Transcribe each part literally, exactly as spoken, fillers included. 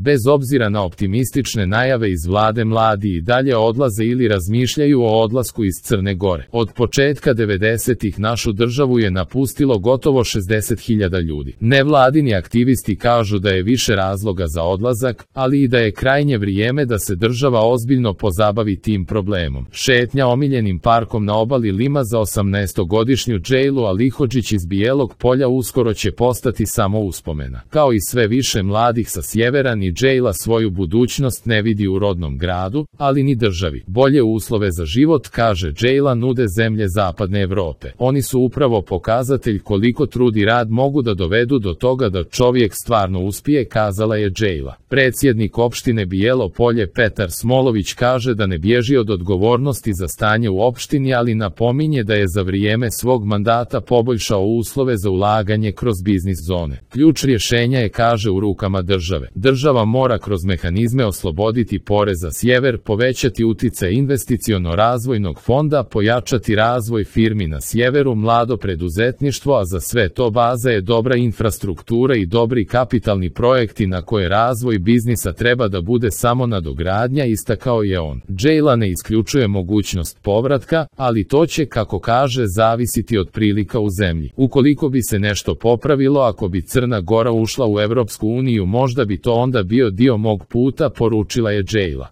Bez obzira na optimistične najave iz vlade, mladi i dalje odlaze ili razmišljaju o odlasku iz Crne Gore. Od početka devedesetih našu državu je napustilo gotovo šezdeset hiljada ljudi. Nevladini aktivisti kažu da je više razloga za odlazak, ali i da je krajnje vrijeme da se država ozbiljno pozabavi tim problemom. Šetnja omiljenim parkom na obali Lima za osamnaestogodišnju Džejlu Alihodžić iz Bijelog Polja uskoro će postati samo uspomena. Kao i sve više mladih sa sjevera, ni Džejla svoju budućnost ne vidi u rodnom gradu, ali ni državi. Bolje uslove za život, kaže Džejla, nude zemlje zapadne Evrope. Oni su upravo pokazatelj koliko trud i rad mogu da dovedu do toga da čovjek stvarno uspije, kazala je Džejla. Predsjednik opštine Bijelo Polje Petar Smolović kaže da ne bježi od odgovornosti za stanje u opštini, ali napominje da je za vrijeme svog mandata poboljšao uslove za ulaganje kroz biznis zone. Ključ rješenja je, kaže, u rukama države. Država mora kroz mehanizme osloboditi porez za sjever, povećati uticaj investiciono-razvojnog fonda, pojačati razvoj firmi na sjeveru, mlado preduzetništvo, a za sve to baza je dobra infrastruktura i dobri kapitalni projekti na koje razvoj biznisa treba da bude samo nadogradnja, istakao je on. Džejla ne isključuje mogućnost povratka, ali to će, kako kaže, zavisiti od prilika u zemlji. Ukoliko bi se nešto popravilo, ako bi Crna Gora ušla u Evropsku uniju, možda bi to onda bio dio mog puta, poručila je Džejla.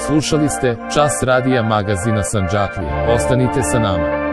Slušali ste Čas radija magazina Sandžaklija. Ostanite sa nama.